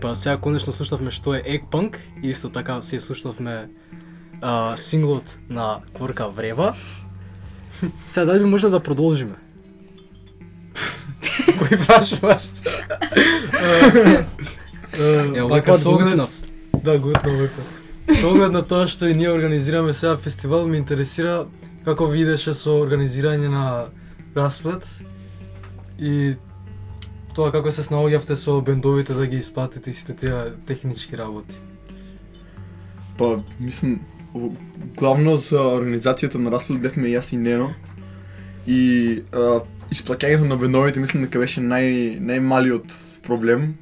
Па сега конечно слушавме што е Eggpunk и исто така се слушавме синглот на Кворка Врева. Сега дали би може да продолжиме? Кој прашуваш? Вака соглед... Да, гутнав вака. Со оглед на тоа што и ние организираме сега фестивал, ме интересира како видеше со организирање на расплет и тоа како се снаоѓавте со бендовите да ги исплатите и сите тие технички работи. Па, мислам, главно за организацијата на расплет бевме јас и Нено. И исплаќањето на бендовите мислам дека беше најмалиот проблем.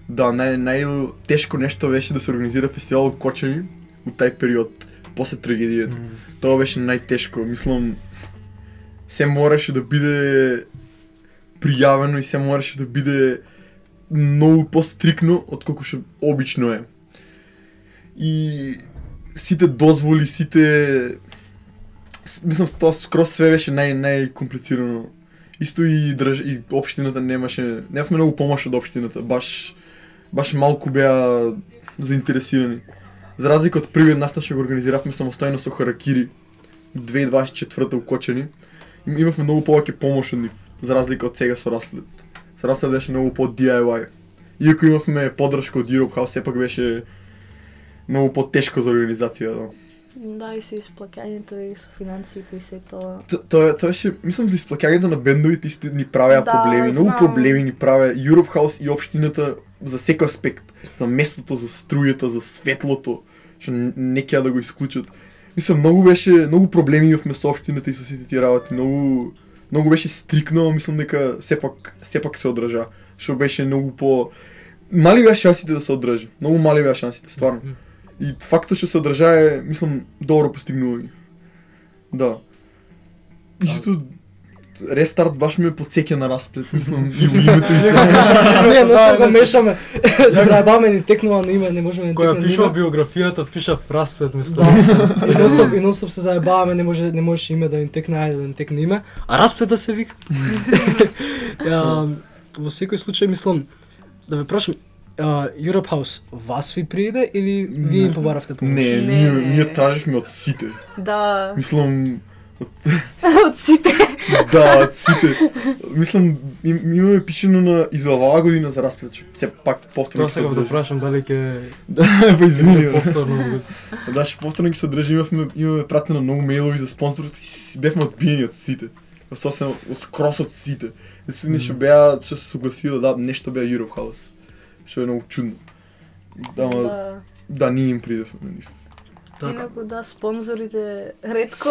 Да, најтешко нешто беше да се организира фестивал од Кочани у тај период, после трагедијата. Тоа беше најтешко, мислам, се мораше да биде пријавено и се мораше да биде многу пострикно отколку што обично е. И сите дозволи, мислам, тоа скроз све беше најкомплицирано. Исто и општината немавме многу помош од општината, баш малку беа заинтересирани. За разлика од првиот настан што го организиравме самостојно со Харакири 2024 у Кочани, имавме многу повеќе помош од нив, за разлика од сега со Расплет. Со Расплет беше многу по DIY. Иако имавме поддршка од Europe House, сепак беше многу по-тешко за организација, да. Да, и со исплаќањето и со финансиите и се тоа. Тоа беше, мислам, за исплаќањето на бендовите исто ни правеа проблеми, многу проблеми ни правеа Europe House и општината за секој аспект, за местото, за струјата, за светлото, што не ќе да го исклучат. Мислам, многу проблеми имавме со општината и со сите тие работи, многу беше стрикно, мислам дека сепак се одржа, што беше многу по мали беа шансите да се одржи, многу мали беа шансите, стварно. И фактот што се одржа е, мислам, добро постигнување. Да. Исто рестарт баш ме потсеќа на Расплет, мислам, и името и се. Не, го мешаме. Се заебаваме ни текнува на име, не можеме ни текнува. Која пишува биографијата, пиша Расплет место. И нонстоп се заебаваме, не можеш име да ни текне, ајде да ни текне име, а Расплет да се вика. Во секој случај мислам да ве прашам, Europe House вас ви прииде или вие им побаравте помош? Не, ние траживме од сите. Да. Мислам, од сите. Да, од сите. Мислам, имаме пишено на излавала година за Расплет, че се пак повторно ќе се одржи. Тоа сега да прашам дали ќе... Да, извини. Повторно. Да, ше повторно ќе се одржи, имаме пратено многу мејлови за спонсорство и бевме одбиени од сите. Сосем скрос од сите. Единствено што беа, што се согласија да дадат нешто беа Europe House. Што е многу чудно. Да, ние им придевме на нив. Инаку да, спонзорите ретко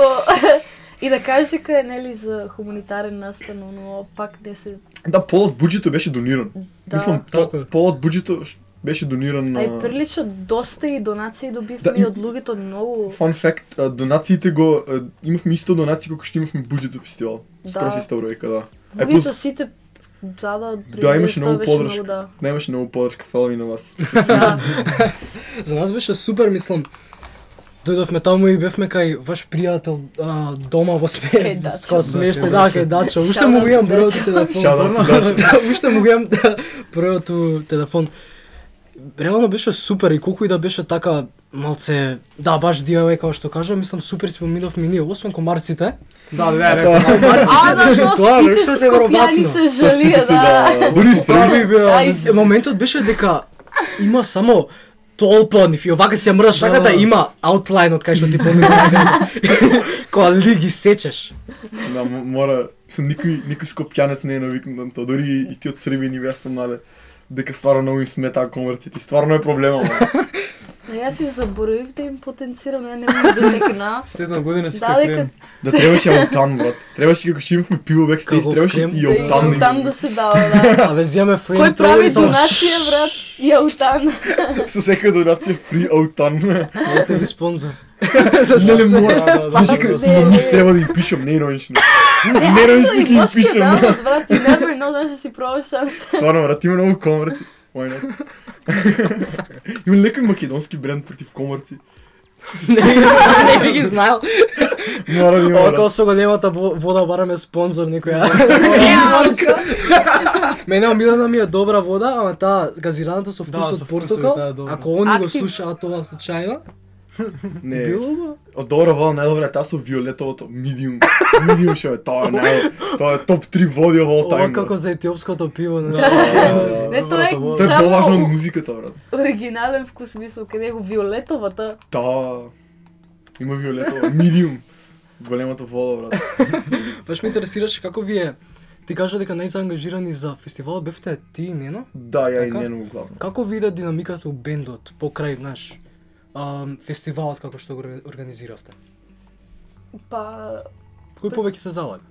и да кажеш дека е нели за хуманитарен настан, но пак не се... Да, пол од буџето беше дониран. Мислам, пол од буџето беше дониран на... Ај прилично доста и донации добивме од луѓето многу. Fun fact, донациите го имавме исто донации колку што имавме буџет за фестивал. Скроз иста бројка, да. Луѓето сите да, имаше многу поддршка. Да, имаше многу поддршка, фала и на вас. За нас беше супер, мислам. Дојдовме таму и бевме кај ваш пријател дома во смешно, да, кај Дача. Уште му го имам бројот телефон. Уште му го имам бројот телефон. Реално беше супер и колку и да беше така малце, да, баш DIY како што кажа, мислам супер си поминавме ние, освен комарците. Да, комарците. Да, сите скопјани се жалија, да. Дури строги беа. Моментот беше дека има само толпа нив и овака си ја мрдаш раката, има аутлайн од кај што ти поминува. Кога ли ги сечеш. Да, мора, никој скопјанец не е навикнат на тоа, дури и ти од Србија ни беа спомнале дека стварно многу им сметаа комарците, стварно е проблема. Јас си заборавив да им потенцирам, не можам да текна. Следна година си крем. Да, требаше аутан, брат. Требаше како што имавме пиво бекстејдж, требаше и аутан. Аутан да се дава, да. Абе, земе флейм кој прави донација, брат, и аутан. Со секоја донација фри аутан. Мојте ви спонзор. Не мора. Знаеш дека нив треба да им пишам, не иронично. Не иронично ќе им пишам. Брат, you never know, да си пробаш шанса. Стварно, брат, има многу комарци. Why not? Има некој македонски бренд против комарци. Не би ги знаел. Мора да има. Око со големата вода бараме спонзор некоја. Мене омилена ми е добра вода, ама таа газираната со вкус од портокал. Ако они го слушаат тоа случајно, Не. било Од добра вода најдобра е таа со виолетовото medium што е тоа е топ 3 води of all ова time. како за етиопското пиво, не? Не, тоа е Тоа е поважно од музиката, брат. оригинален вкус, мислам, каде го виолетовата. Таа има виолетова medium. Големата вода, брат. Баш ме интересираше како вие ти кажа дека најзаангажирани за фестивалот бевте ти и Нено? Да, ја и Така? Нено главно. Како виде динамиката у бендот покрај наш фестивалот како што го организиравте? Па, Кој повеќе се залага?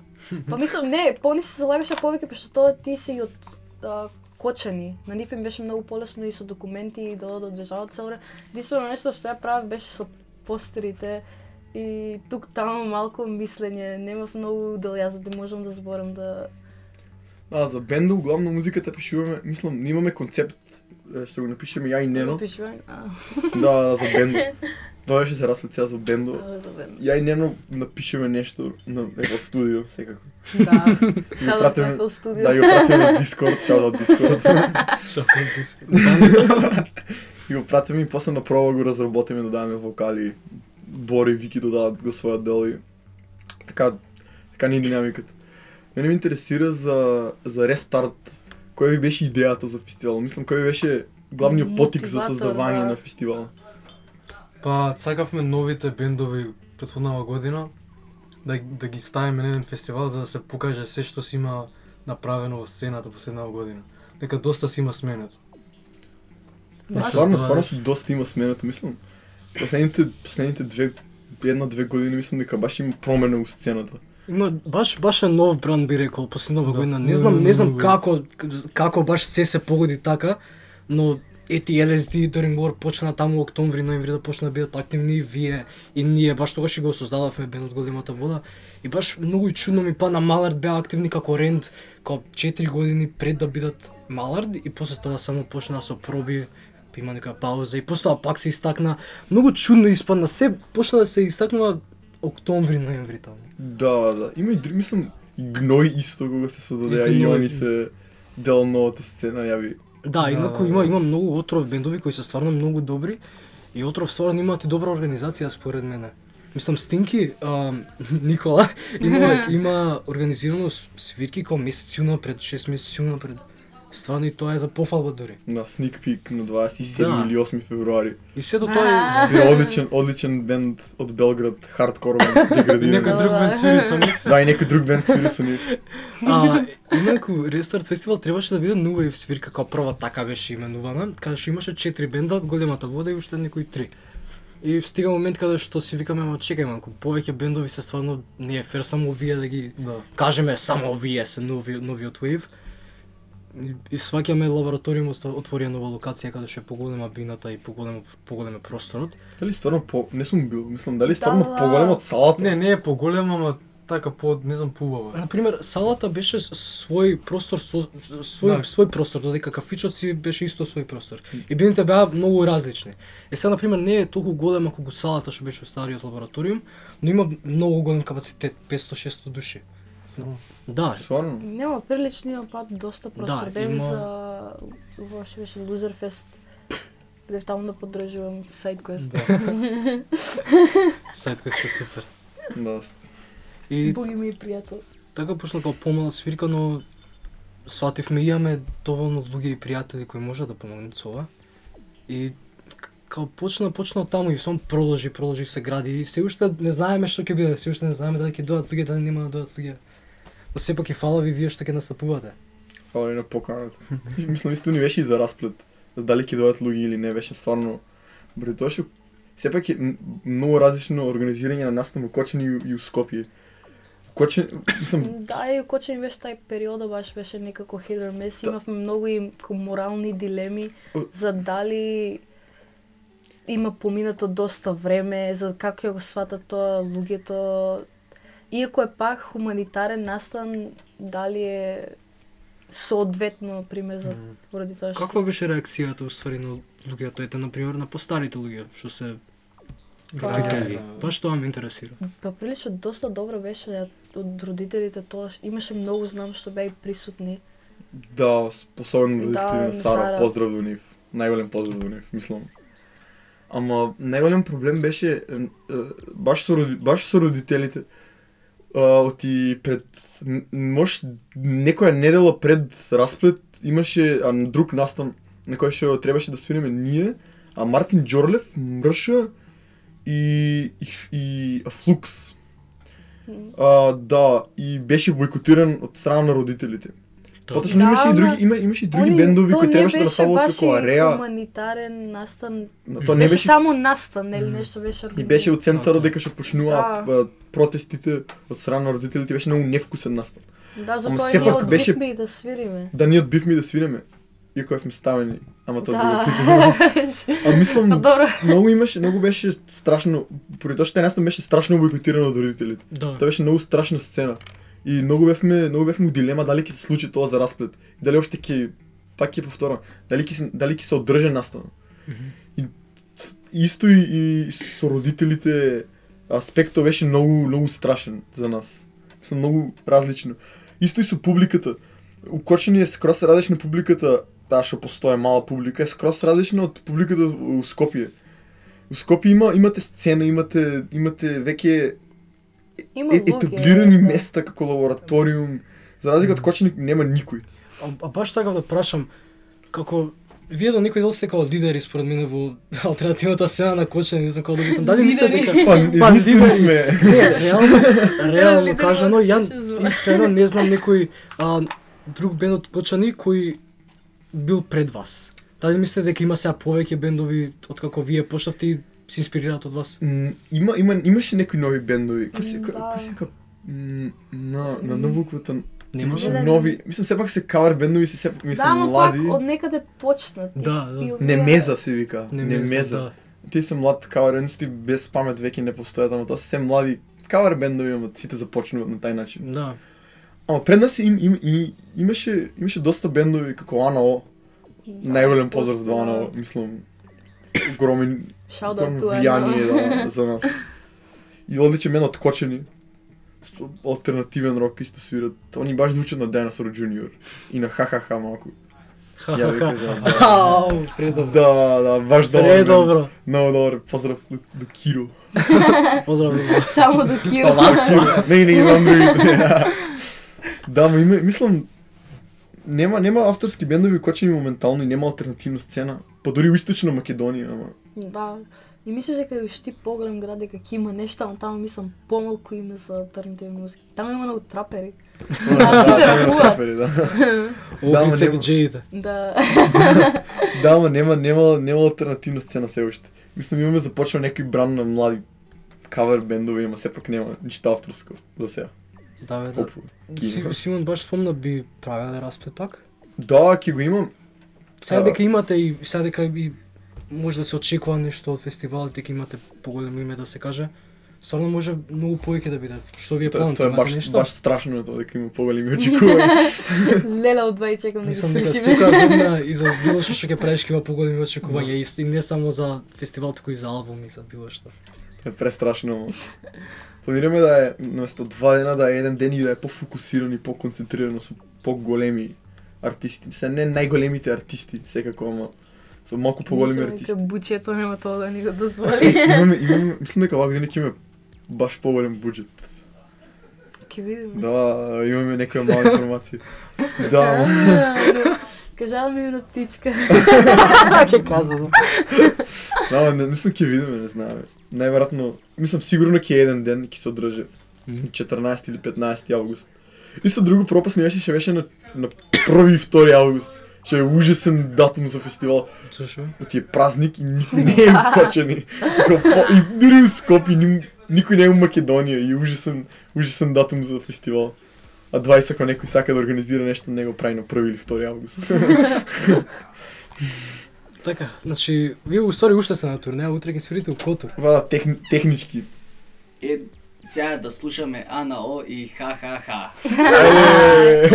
па мислам, не, пони се залагаше повеќе, пошто тоа ти си од Кочани. На нив им беше многу полесно и со документи и да одржаваат цело време. Единствено нешто што ја правев беше со постерите и тук таму малку мислење, немав многу дел јас да можам да зборам да... За бендот главно музиката пишуваме, мислам, ние имаме концепт што го напишеме ја и Нено. Пишувам, Да, за бендот. Тоа ще се расплет сега за бендот. за бендот. Ја и Нено напишеме нешто на во студио, секако. Да, И го шаут пратиме- на студио. Да, и го пратиме на Discord, шаут од Discord. И го пратиме и после на проба го разработиме, додаваме вокали, Бори и Вики додават го својот дел и така ни е динамиката. Мене ме интересира за рестарт, која ви беше идејата за фестивал? Мислам, кој ви беше главниот потик за Мотиватор, создавање да. на фестивал? Па, сакавме новите бендови претходнава година да ги ставиме на еден фестивал за да се покаже се што си има направено во сцената последнава година. Дека доста си има сменет. Стварно си доста има сменето, мислам. Последните една-две години мислам дека баш има промена у сцената. Има баш е нов бранд би рекол последнава Да. година. Не знам Многу. како баш се погоди така, но ети LSD и During War почна таму октомври, ноември да почна да бидат активни вие и ние баш тогаш и го создадовме бендот Големата вода и баш многу и чудно ми падна Малард беа активни како Ренд како 4 години пред да бидат Малард и после тоа само почна со проби, па има некоја пауза и после тоа пак се истакна. Многу чудно испадна, се почна да се истакнува октомври, ноември таму. Да. Има и други, мислам, и Гној исто кога се создаде, а и Гној. они се дел новата сцена, јави. Да, инаку има многу отров бендови кои се стварно многу добри и отров стварно имаат и добра организација според мене. Мислам Стинки, Никола, има организирано свирки како месеци унапред, 6 месеци унапред. Стварно и тоа е за пофалба дури. На Sneak Peek на 27 Да. или 8 февруари. И сето тоа е Свири одличен бенд од Белград, хардкор бенд, И деградиран. некој друг бенд свири со нив. Да, и некој друг бенд свири со нив. инаку Рестарт фестивал требаше да биде New Wave свирка, како прва така беше именувана, каде што имаше 4 бенда, Големата вода и уште некои 3. И стига момент каде што си викаме, ама чекај малку, повеќе бендови се стварно не е фер само вие да ги Да. кажеме само вие се новиот Wave. И сваќаме лабораториумот отворија нова локација каде што е поголема бината и поголем е просторот. Дали стварно не сум бил, мислам, дали стварно Да. поголем од салата? Не е поголема, ама така не знам поубава. Например, салата беше свој простор Да. свој простор, додека кафичот си беше исто свој простор. И бините беа многу различни. Сега например не е толку голема колку салата што беше стариот лабораториум, но има многу голем капацитет, 500-600 души. Да, Стварно? Нема приличниот пат доста простор. Да, Бев има- за што беше Loserfest. Бев таму да поддржувам SideQuest. сајд кој сте супер. Да. И Боги ми пријател. така почна како помала свирка, но свативме имаме доволно луѓе и пријатели кои можат да помогнат со ова. И као почна од таму и само продолжи се гради и се уште не знаеме што ќе биде, се уште не знаеме дали ќе дојдат луѓе, дали нема да дојдат луѓе. Но сепак и фала ви вие што ќе настапувате. Фала и на поканата. Мислам, исто ни беше и за расплет. Дали ќе дојдат луѓе или не, беше стварно... Бре, тоа што... Сепак е многу различно организирање на настан во Кочани и у Скопје. Кочани, мислам, Да, и Кочани беше тај период баш беше некако hit or miss. Да. Имавме многу и морални дилеми за дали има поминато доста време, за како ќе го сватат тоа луѓето. Иако е пак хуманитарен настан, дали е соодветно, пример, за поради тоа што... Каква беше реакцијата уствари на луѓето, ете например на постарите луѓе што се родители? Баш тоа ме интересира. Па прилично доста добро беше од родителите тоа, имаше многу знам што беа и присутни. Да, особено родителите на Сара, поздрав до нив. Најголем поздрав до нив, мислам. Ама најголем проблем беше баш со родителите. Оти пред некоја недела пред расплет имаше друг настан на кој што требаше да свириме ние, а Мартин Џорлев, Мрша и Флукс. Да, и беше бойкотиран од страна на родителите. Поточно имаше и други бендови кои требаше да стават како Ареа. То не беше хуманитарен настан. То не беше само настан, нели нешто беше организирано. И беше од центарот дека што почнува протестите од страна на родителите, беше многу невкусен настан. Да, затоа ние одбивме и да свириме. Да, ние одбивме и да свириме. Иако бевме ставени, ама тоа друго. А мислам, многу беше страшно, поради тоа што настан беше страшно бойкотирано од родителите. Тоа беше многу страшна сцена. И многу бевме у дилема дали ќе се случи тоа за расплет. Дали опште ќе повторам, дали ќе се одржи настан. И исто и со родителите аспектот беше многу страшен за нас. Мислам многу различно. Исто и со публиката. У Кочани е скроз различна публиката, таа што постои мала публика, е скроз различна од публиката у Скопје. У Скопје имате сцена, имате веќе етаблирани места како лабораториум, за разлика од Кочани нема никој. А баш така да прашам, како вие до некој дел сте како лидери според мене во алтернативната сцена на Кочани, не знам како да мислам. Дали мислите дека единствени сме? Не, реално кажано, ја искрено не знам некој друг бенд од Кочани кој бил пред вас. Дали мислите дека има сега повеќе бендови од како вие почнавте и се инспирираат од вас? Имаше некои нови бендови. На буквата немаше нови, мислам сепак се кавар бендови се сепак мислам млади. Да, од некаде почнат. Да. Немеза се вика. Немеза. Тие се млад кавар бендови без памет веќе не постојат, ама тоа се млади кавар бендови, ама сите започнуваат на тај начин. Да. Ама пред нас имаше доста бендови како АНАО. Најголем поздрав до АНАО, мислам огромен влијание за нас. И одличен бенд од Кочани. Алтернативен рок исто свират. Они баш звучат на Dinosaur Junior и на Ха-ха-ха малку. Предобро. Да, баш добро. Предобро. Много добро. Поздрав до Киро. Поздрав. Само до Киро. Не, имам другите. Да, мислам, нема авторски бендови Кочани моментално и нема алтернативна сцена. Па дури у Источна Македонија, ама. Да. И мислиш дека уште поголем град дека ќе има нешто, ама таму мислам помалку име за алтернативна музика. Таму има многу трапери. Сите ракуваат. Улица диџеите. Да. Да, ама нема алтернативна сцена се уште. Мислам имаме започнал некој бранд на млади кавер бендови, ама сепак нема ништо авторско за сега. Да, бе, да. Симон баш спомна би правеле расплет пак? Да, ќе го имам. Сега дека имате и сега дека и може да се очекува нешто од фестивалот, дека имате поголемо име да се каже. Стварно може многу повеќе да биде. Што вие планувате? Тоа е баш страшно тоа дека има поголеми очекувања. Леле од 2 чекам да ги слушаме. Мислам дека секоја година и за било што ќе правиш ќе има поголеми очекувања и не само за фестивал, туку и за албум и за било што. Е престрашно. Планираме да е наместо 2 дена да е еден ден и да е пофокусиран и поконцентрирано со поголеми артисти. Се не најголемите артисти, секако, ама со малку поголеми артисти. Мислам дека буџетот нема тоа да ни го дозволи. Имаме, мислам дека оваа година ќе имаме баш поголем буџет. Ќе видиме. Да, имаме некоја мала информација. Да. Кажала ми на птичка. Ќе кажам. Да, мислам ќе видиме, не знам. Најверојатно, мислам сигурно ќе еден ден ќе се одржи 14 или 15 август. Исто друго пропасно беше на 1 и 2 август. Што е ужасен датум за фестивал. Зашо? Оти е празник и никој не е у Кочани. И дури у Скопје никој не е у Македонија и ужасен датум за фестивал. А 20 ако некој сака да организира нешто, него прави на 1 или 2 август. Така, значи, вие уствари уште сте на турнеја, утре ќе свирите у Котур. Технички. Сега да слушаме АНАО и Ха-ха-ха.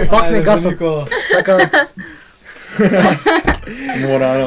Пак не гасат. Сака Мора,